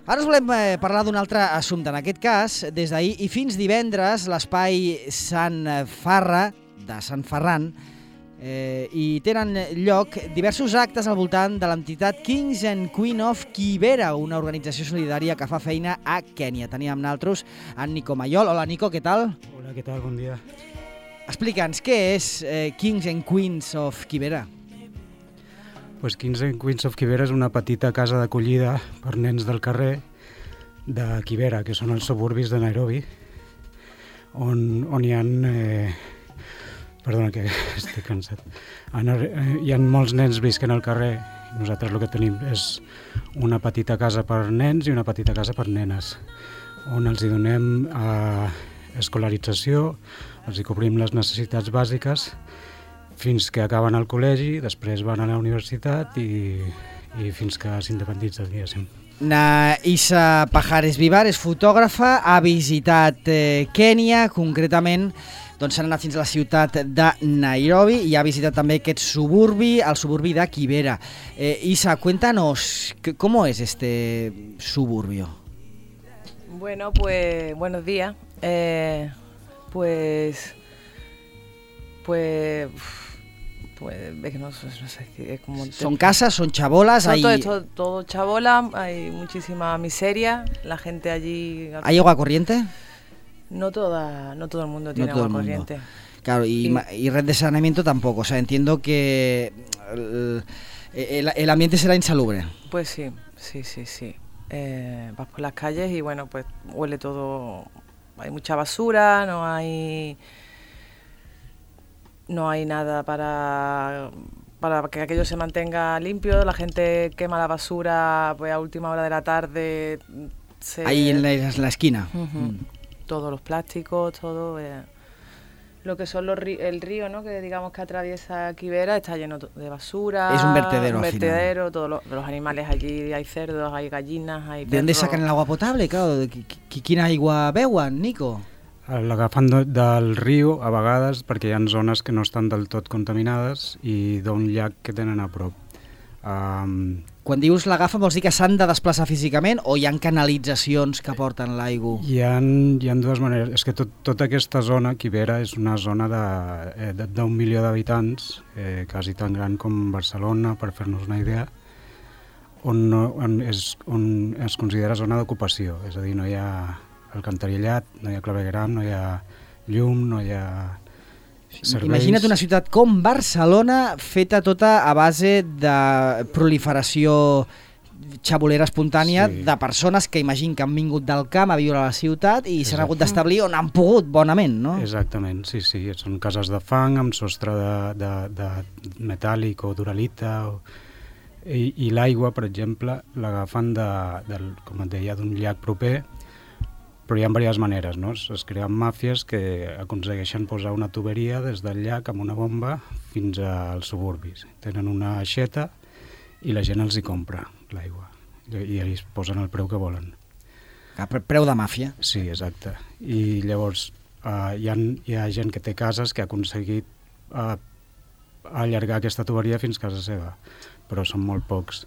Ara us volem parlar d'un altre assumpte. En aquest cas, des d'ahir i fins divendres, l'espai Sant Farra, de Sant Ferran, i tenen lloc diversos actes al voltant de l'entitat Kings and Queen of Kibera, una organització solidària que fa feina a Kènia. Teníem amb nosaltres en Nico Mayol. Hola, Nico, què tal? Hola, què tal? Bon dia. Explica'ns, què és Kings and Queens of Kibera? Pues Kings and Queens of Kibera és una petita casa d'acollida per nens del carrer de Kibera, que són els suburbis de Nairobi, on hi ha... Perdona, que estic cansat. Hi ha molts nens visquen al carrer. Nosaltres el que tenim és una petita casa per nens i una petita casa per nenes, on els hi donem escolarització, els hi cobrim les necessitats bàsiques fins que acaben el col·legi, després van a la universitat i fins que s'independitzen, diguéssim. Isa Pajares Vivar és fotògrafa, ha visitat Kènia, concretament s'han anat fins a la ciutat de Nairobi i ha visitat també aquest suburbi, el suburbi de Kibera. Isa, cuéntanos, ¿cómo es este suburbio? Bueno, pues buenos días. Pues es que no sé, es como... ¿Son casas, son chabolas? Todo chabola, hay muchísima miseria, la gente allí... ¿Hay agua corriente? No todo el mundo tiene agua corriente. Claro, y red de saneamiento tampoco, o sea, entiendo que el ambiente será insalubre. Pues sí. Vas por las calles y bueno, pues huele todo, hay mucha basura, no hay nada para que aquello se mantenga limpio, la gente quema la basura pues a última hora de la tarde. Ahí en la esquina. Todos los plásticos, todo lo que son el río, ¿no? Que digamos que atraviesa Kibera está lleno de basura. Es un vertedero. Todos los animales allí, hay cerdos, hay gallinas, hay perros. ¿De dónde sacan el agua potable? Claro, ¿quina aigua beuen, Nico? L'agafen del riu, a vegades, perquè hi ha zones que no estan del tot contaminades i d'un llac que tenen a prop. Quan dius l'agafen, vols dir que s'han de desplaçar físicament o hi ha canalitzacions que porten l'aigua? Hi ha dues maneres. És que tota aquesta zona, Kibera, és una zona d'1 milió d'habitants, quasi tan gran com Barcelona, per fer-nos una idea, on es considera zona d'ocupació. És a dir, no hi ha alcantarillat, no hi ha clavegueram, no hi ha llum, no hi ha serveis. Imagina't una ciutat com Barcelona feta tota a base de proliferació xabolera espontània, sí, de persones que imagino que han vingut del camp a viure a la ciutat i s'han hagut d'establir on han pogut, bonament, no? Exactament, sí. Són cases de fang amb sostre de metàl·lic o d'uralita i l'aigua, per exemple, l'agafen com et deia, d'un llac proper. Però hi ha diverses maneres, no? Es creen màfies que aconsegueixen posar una tuberia des del llac amb una bomba fins als suburbis. Tenen una aixeta i la gent els hi compra l'aigua i ells posen el preu que volen. Preu de màfia. Sí, exacte. I llavors hi ha gent que té cases que ha aconseguit allargar aquesta tuberia fins a casa seva, però són molt pocs.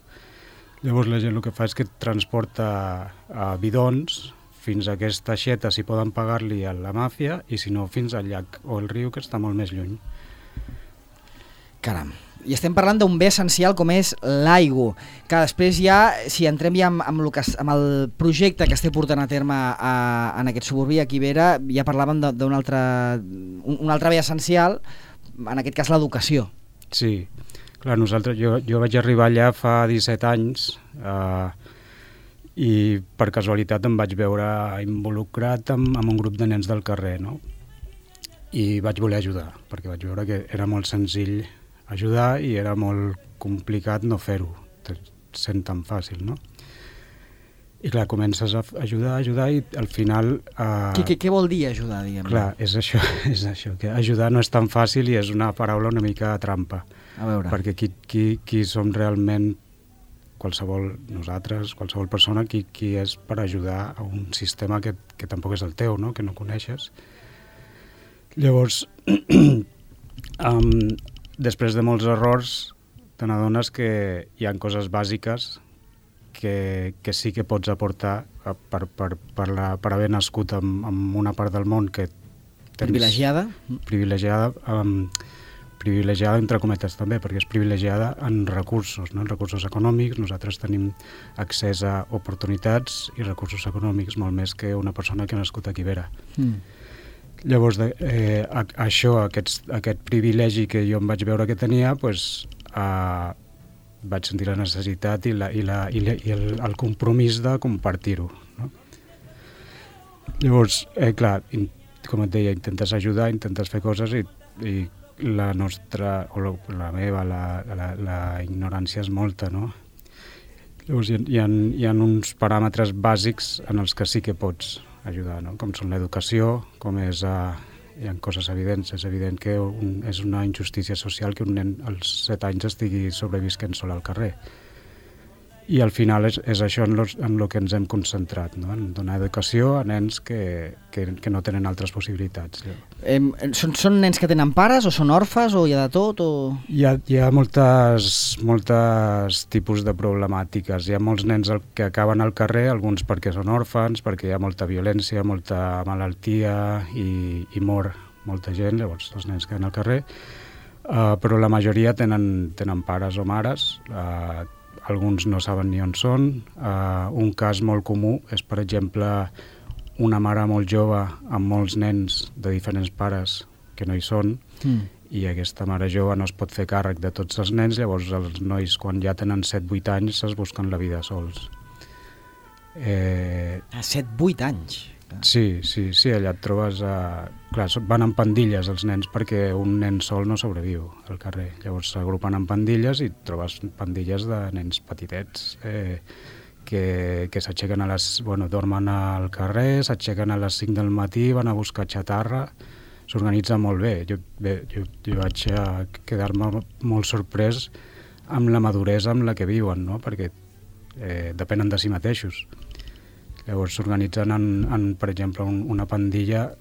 Llavors la gent el que fa és que transporta bidons fins a aquesta aixeta, si poden pagar-li a la màfia, i si no, fins al llac o el riu, que està molt més lluny. Caram. I estem parlant d'un bé essencial com és l'aigua, que després ja, si entrem ja amb el projecte que estem portant a terme en aquest suburbi, a Kibera, ja parlàvem d'un altre bé essencial, en aquest cas l'educació. Sí, clar, jo vaig arribar allà fa 17 anys, i per casualitat em vaig veure involucrat amb un grup de nens del carrer, no? I vaig voler ajudar, perquè vaig veure que era molt senzill ajudar i era molt complicat no fer-ho, sent tan fàcil, no? I clar, comences a ajudar i al final... Què vol dir ajudar, diguem? Clar, és això, que ajudar no és tan fàcil i és una paraula una mica trampa. A veure. Perquè qui som realment qualsevol persona, qui és per ajudar a un sistema que tampoc és el teu, no? Que no coneixes. Llavors, després de molts errors, te n'adones que hi ha coses bàsiques que sí que pots aportar per haver nascut en una part del món que tens... Privilegiada entre cometes també, perquè és privilegiada en recursos, no? En recursos econòmics. Nosaltres tenim accés a oportunitats i recursos econòmics molt més que una persona que ha nascut a Quivera. Llavors, això, aquest privilegi que jo em vaig veure que tenia, vaig sentir la necessitat i el compromís de compartir-ho, no? Llavors, clar, com et deia, intentes ajudar, intentes fer coses i la nostra, o la meva, la ignorància és molta, no? Llavors hi ha uns paràmetres bàsics en els que sí que pots ajudar, no? Com són l'educació, hi ha coses evidents. És evident que és una injustícia social que un nen als 7 anys estigui sobrevisquent sol al carrer. I al final és això en el que ens hem concentrat, no? En donar educació a nens que no tenen altres possibilitats. Són nens que tenen pares o són orfes o hi ha de tot? Hi ha moltes tipus de problemàtiques. Hi ha molts nens que acaben al carrer, alguns perquè són òrfans, perquè hi ha molta violència, molta malaltia i mor molta gent, llavors els nens queden al carrer. Però la majoria tenen pares o mares, alguns no saben ni on són. Un cas molt comú és, per exemple, una mare molt jove amb molts nens de diferents pares que no hi són, i aquesta mare jove no es pot fer càrrec de tots els nens, llavors els nois, quan ja tenen 7-8 anys, es busquen la vida sols. A 7-8 anys? Sí, allà et trobes... Clar, van en pandilles els nens perquè un nen sol no sobreviu al carrer. Llavors s'agrupen en pandilles i trobes pandilles de nens petitets que s'aixequen dormen al carrer, s'aixequen a les 5 del matí, van a buscar xatarra, s'organitza molt bé. Jo vaig quedar-me molt sorprès amb la maduresa amb la que viuen, no? Perquè depenen de si mateixos. Llavors s'organitzen en, per exemple, una pandilla,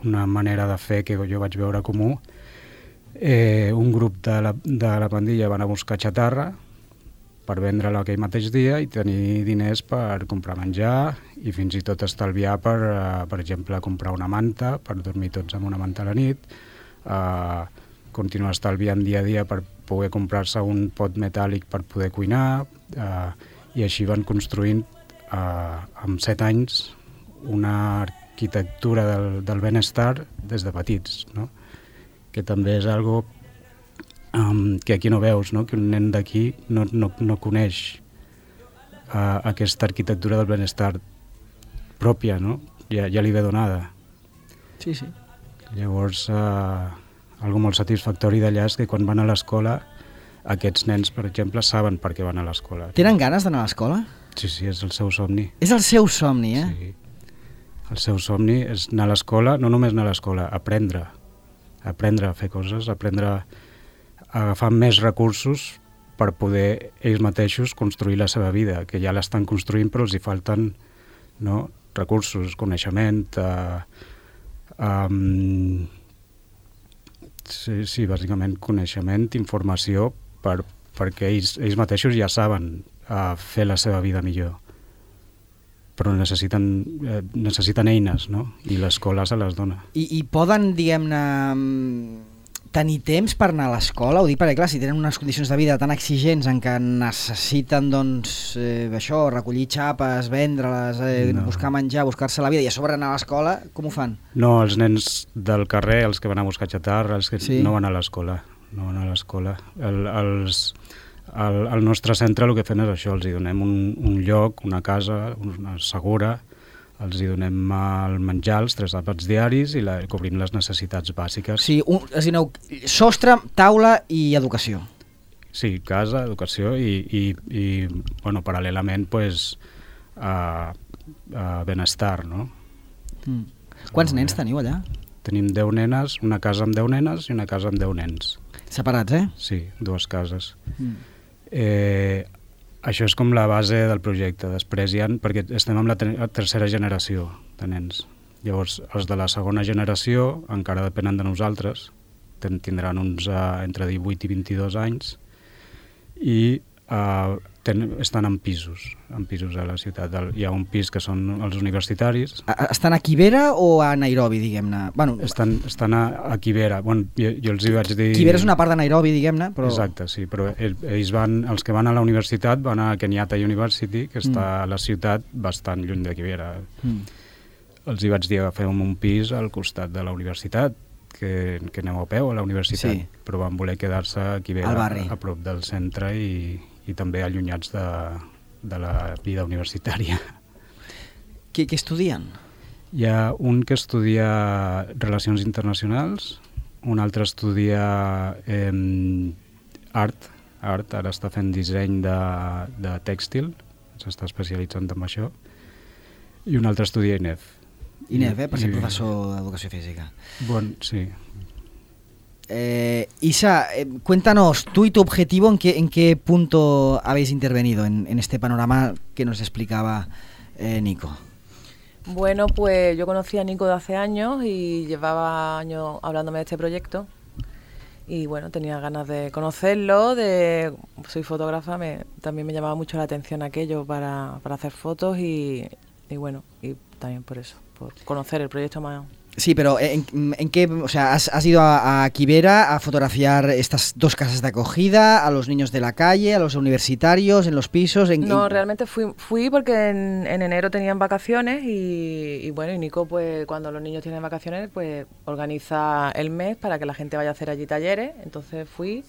una manera de fer que jo vaig veure comú. Un grup de la pandilla van a buscar xatarra per vendre-la aquell mateix dia i tenir diners per comprar menjar i fins i tot estalviar per exemple, comprar una manta, per dormir tots amb una manta a la nit, continuar estalviant dia a dia per poder comprar-se un pot metàl·lic per poder cuinar, i així van construint amb 7 anys una arquitectura del benestar des de petits, no? Que també és algo que aquí no veus, no? Que un nen d'aquí no coneix aquesta arquitectura del benestar pròpia, no? Ja li ve donada. Sí. Llavors, algo molt satisfactori d'allà és que quan van a l'escola, aquests nens, per exemple, saben per què van a l'escola. Tenen ganes d'anar a l'escola? Sí, és el seu somni. És el seu somni, eh? Sí. El seu somni és anar a l'escola, no només anar a l'escola, aprendre a fer coses, aprendre a agafar més recursos per poder ells mateixos construir la seva vida, que ja l'estan construint però els hi falten, no, recursos, coneixement, sí, bàsicament coneixement, informació, perquè ells mateixos ja saben fer la seva vida millor. Però necessiten eines, no? I l'escola se les dona. I poden, diguem-ne, tenir temps per anar a l'escola? Ho dic perquè, clar, si tenen unes condicions de vida tan exigents en què necessiten, doncs, això, recollir xapes, vendre-les, buscar menjar, buscar-se la vida i a sobre anar a l'escola, com ho fan? No, els nens del carrer, els que van a buscar xatarra, els que no van a l'escola. No van a l'escola. Al nostre centre el que fem és això, els hi donem un lloc, una casa, una segura, els hi donem el menjar, els 3 àpats diaris i cobrim les necessitats bàsiques. Sí, sostre, taula i educació. Sí, casa, educació i bueno, paral·lelament, pues, benestar, no? Quants nens teniu allà? Tenim 10 nenes, una casa amb 10 nenes i una casa amb 10 nens. Separats, eh? Sí, 2 cases. Això és com la base del projecte. Després perquè estem amb la tercera generació de nens. Llavors, els de la segona generació encara depenen de nosaltres. Tindran uns entre 18 i 22 anys. I estan en pisos a la ciutat. Hi ha un pis que són els universitaris. Estan a Kibera o a Nairobi, diguem-ne? Bueno, estan a Kibera. Bueno, jo els hi vaig dir... Kibera és una part de Nairobi, diguem-ne, però... Exacte, sí, però els que van a la universitat van a Kenyatta University, que està a la ciutat bastant lluny de Kibera. Els hi vaig dir agafem un pis al costat de la universitat, que aneu a peu a la universitat, sí. Però van voler quedar-se a Kibera, a prop del centre i també allunyats de la vida universitària. Què estudien? Hi ha un que estudia Relacions Internacionals, un altre estudia art, ara està fent disseny de tèxtil, s'està especialitzant en això, i un altre estudia INEF. INEF, per ser professor d'educació física. Bueno, sí. Isa, cuéntanos, tú y tu objetivo, ¿en qué punto habéis intervenido en este panorama que nos explicaba Nico? Bueno, pues yo conocí a Nico de hace años y llevaba años hablándome de este proyecto y bueno, tenía ganas de conocerlo, soy fotógrafa, también me llamaba mucho la atención aquello para hacer fotos y bueno, y también por eso, por conocer el proyecto más. Sí, pero ¿en qué? O sea, ¿has ido a Kibera a fotografiar estas dos casas de acogida, a los niños de la calle, a los universitarios, en los pisos? No, realmente fui porque en enero tenían vacaciones y bueno, y Nico, pues cuando los niños tienen vacaciones, pues organiza el mes para que la gente vaya a hacer allí talleres. Entonces fui,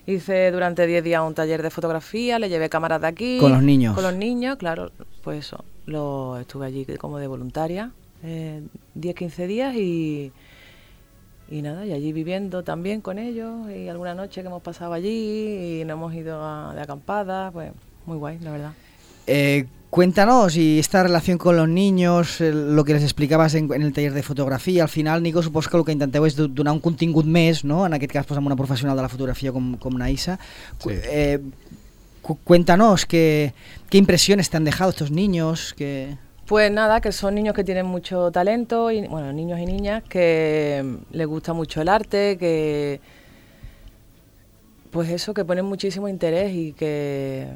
hice durante 10 días un taller de fotografía, le llevé cámaras de aquí. ¿Con los niños? Con los niños, claro, pues eso, estuve allí como de voluntaria. 10-15 días y nada, y allí viviendo también con ellos y alguna noche que hemos pasado allí y nos hemos ido de acampada, pues muy guay, la verdad. Cuéntanos, y esta relación con los niños, lo que les explicabas en el taller de fotografia, al final, Nico, suposo que el que intenteu és donar un contingut més, no? En aquest cas, pues, amb una professional de la fotografia com Naisa. Sí. Cuéntanos, ¿qué impresiones te han dejado estos niños? Pues nada, que son niños que tienen mucho talento, y bueno, niños y niñas que les gusta mucho el arte, que pues eso, que ponen muchísimo interés y que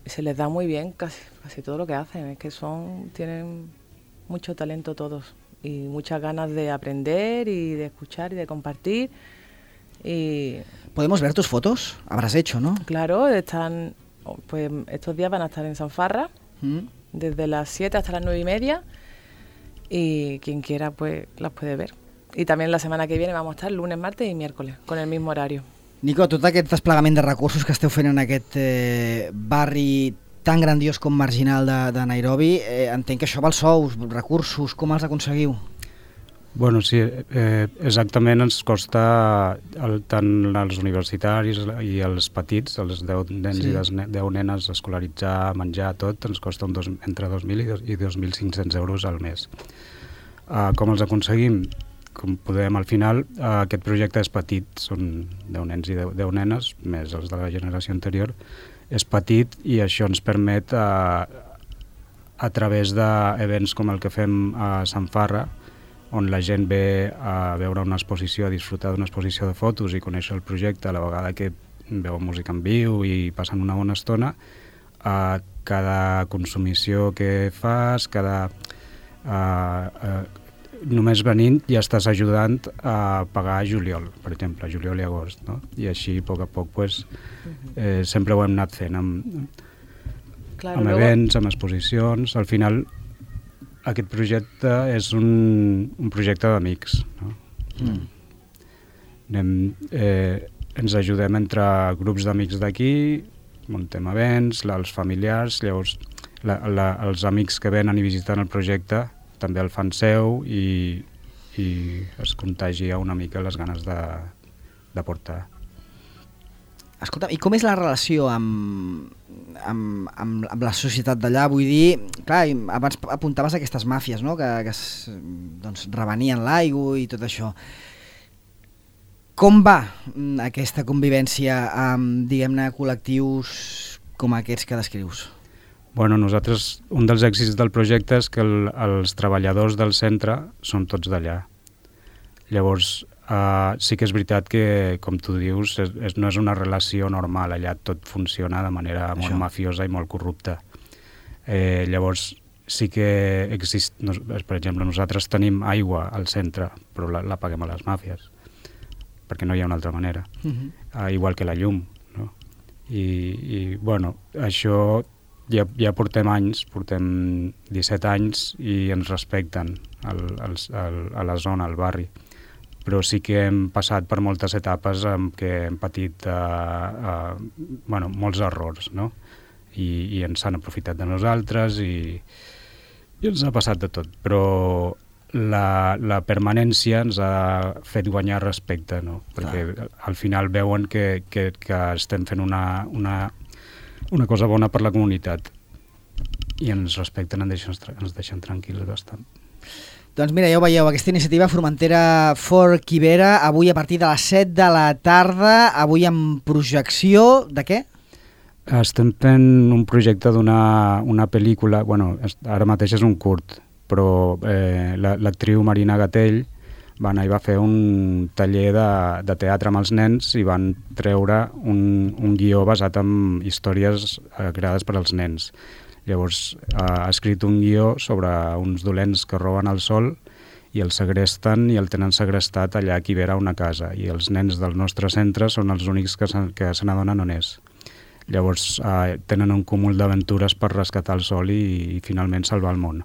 se les da muy bien casi todo lo que hacen. Es que tienen mucho talento todos y muchas ganas de aprender y de escuchar y de compartir. Y ¿podemos ver tus fotos? Habrás hecho, ¿no? Claro, pues estos días van a estar en Sanfarra. Desde las 7 hasta las 9:30 y quien quiera pues las puede ver. Y también la semana que viene vamos a estar lunes, martes y miércoles con el mismo horario. Nico, tot aquest desplegament de recursos que esteu fent en aquest barri tan grandiós com marginal de Nairobi, entenc que això val sous, recursos, com els aconseguiu? Bueno, sí, exactament ens costa tant als universitaris i als petits, els 10 nens i 10 nenes escolaritzar, menjar, tot, ens costa entre 2.000 i 2.500 euros al mes. Com els aconseguim? Com podem, al final, aquest projecte és petit, són 10 nens i 10 nenes, més els de la generació anterior, és petit i això ens permet, a través d'events com el que fem a Sanfarra, on la gent ve a veure una exposició, a disfrutar d'una exposició de fotos i conèixer el projecte a la vegada que veuen música en viu i passen una bona estona. Cada consumició que fas, només venint ja estàs ajudant a pagar juliol, per exemple, juliol i agost, no? I així, a poc, pues, sempre ho hem anat fent amb events, amb exposicions. Al final, aquest projecte és un projecte d'amics, no? Ens ajudem entre grups d'amics d'aquí, muntem events, els familiars, llavors els amics que venen i visiten el projecte també el fan seu i es contagia una mica les ganes de portar. Escolta, i com és la relació amb la societat d'allà? Vull dir, clar, abans apuntaves a aquestes màfies, no? que doncs, revenien l'aigua i tot això. Com va aquesta convivència amb, diguem-ne, col·lectius com aquests que descrius? Bueno, nosaltres, un dels èxits del projecte és que els treballadors del centre són tots d'allà. Llavors, sí que és veritat que, com tu dius, no és una relació normal, allà tot funciona de manera molt mafiosa i molt corrupta. Llavors, sí que per exemple, nosaltres tenim aigua al centre, però la paguem a les màfies, perquè no hi ha una altra manera. Igual que la llum, no? I bueno, això ja portem anys, portem 17 anys i ens respecten a la zona, al barri. Però sí que hem passat per moltes etapes en què hem patit molts errors, no? I ens han aprofitat de nosaltres i ens ha passat de tot. Però la permanència ens ha fet guanyar respecte, no? Perquè al final veuen que estem fent una cosa bona per la comunitat i ens respecten, ens deixen tranquils bastant. Doncs mira, ja ho veieu, aquesta iniciativa Formentera for Kibera, avui a partir de les 7 de la tarda, avui amb projecció de què? Estem fent un projecte d'una pel·lícula, ara mateix és un curt, però l'actriu Marina Gatell va anar i va fer un taller de teatre amb els nens i van treure un guió basat en històries creades per als nens. Llavors ha escrit un guió sobre uns dolents que roben el sol i el segresten i el tenen segrestat allà a Kibera, una casa, i els nens del nostre centre són els únics que se n'adonen on és. Llavors tenen un cúmul d'aventures per rescatar el sol i finalment salvar el món.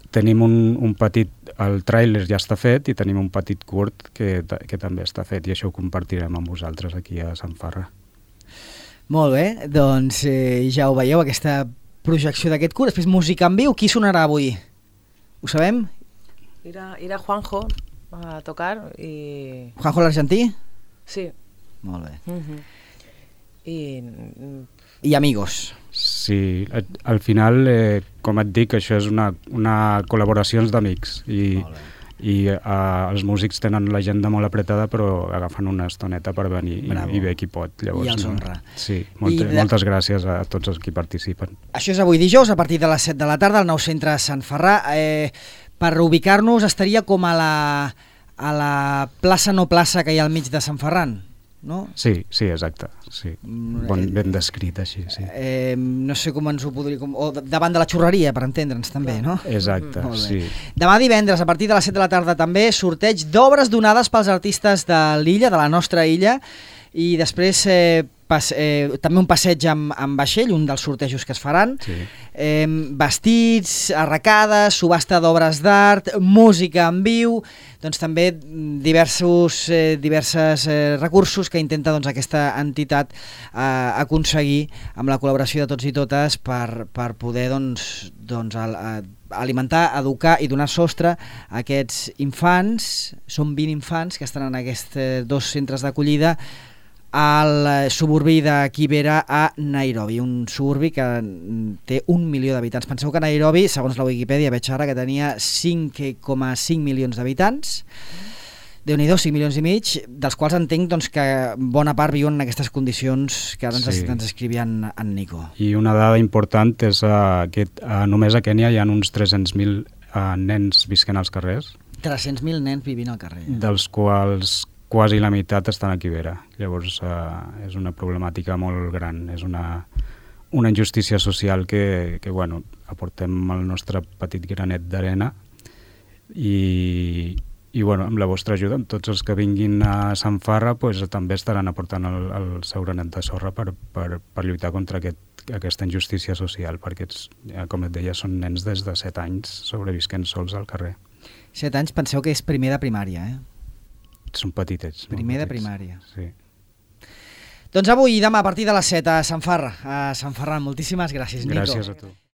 Tenim un petit... El tràiler ja està fet i tenim un petit curt que també està fet i això ho compartirem amb vosaltres aquí a Sant Farra. Molt bé, doncs ja ho veieu, aquesta projecció d'aquest curt. Després música en viu, qui sonarà avui? Ho sabem? Irà Juanjo a tocar i... Juanjo l'argentí? Sí. Molt bé. I amigos. Sí, al final, com et dic, això és una col·laboració d'amics i els músics tenen l'agenda molt apretada però agafen una estoneta per venir i ve qui pot. Llavors, i els honra. Sí, moltes gràcies a tots els que participen. Això és avui dijous a partir de les 7 de la tarda al nou centre Sant Ferrà. Per ubicar-nos estaria com a la plaça no plaça que hi ha al mig de Sant Ferran, no? Sí, exacte. Sí. Ben descrit així, sí. No sé com ens ho podria... O davant de la xurreria, per entendre'ns també, no? Exacte, sí. Demà divendres, a partir de les 7 de la tarda també, sorteig d'obres donades pels artistes de l'illa, de la nostra illa, i després també un passeig amb vaixell, un dels sortejos que es faran, vestits, arracades, subhasta d'obres d'art, música en viu, doncs també diversos recursos que intenta aquesta entitat aconseguir amb la col·laboració de tots i totes per poder alimentar, educar i donar sostre a aquests infants. Són 20 infants que estan en aquests 2 centres d'acollida al suburbi de Kibera a Nairobi, un suburbi que té 1 milió d'habitants. Penseu que Nairobi, segons la Wikipedia, veig ara que tenia 5,5 milions d'habitants. Déu-n'hi-do, 5 milions i mig, dels quals entenc que bona part viuen en aquestes condicions que ara ens escrivia en Nico. I una dada important és que només a Kènia hi ha uns 300.000 nens visquent als carrers. 300.000 nens vivint al carrer. Dels quals quasi la meitat estan a Kibera. Llavors és una problemàtica molt gran, és una injustícia social que aportem el nostre petit granet d'arena i amb la vostra ajuda, amb tots els que vinguin a Sant Farra també estaran aportant el seu granet de sorra per lluitar contra aquesta injustícia social, perquè, com et deia, són nens des de 7 anys sobrevisquent sols al carrer. 7 anys, penseu que és primer de primària, Són petitets. Primer de primària. Sí. Doncs avui i demà a partir de les 7 a Sant Ferran. Moltíssimes gràcies, Nico. Gràcies a tu.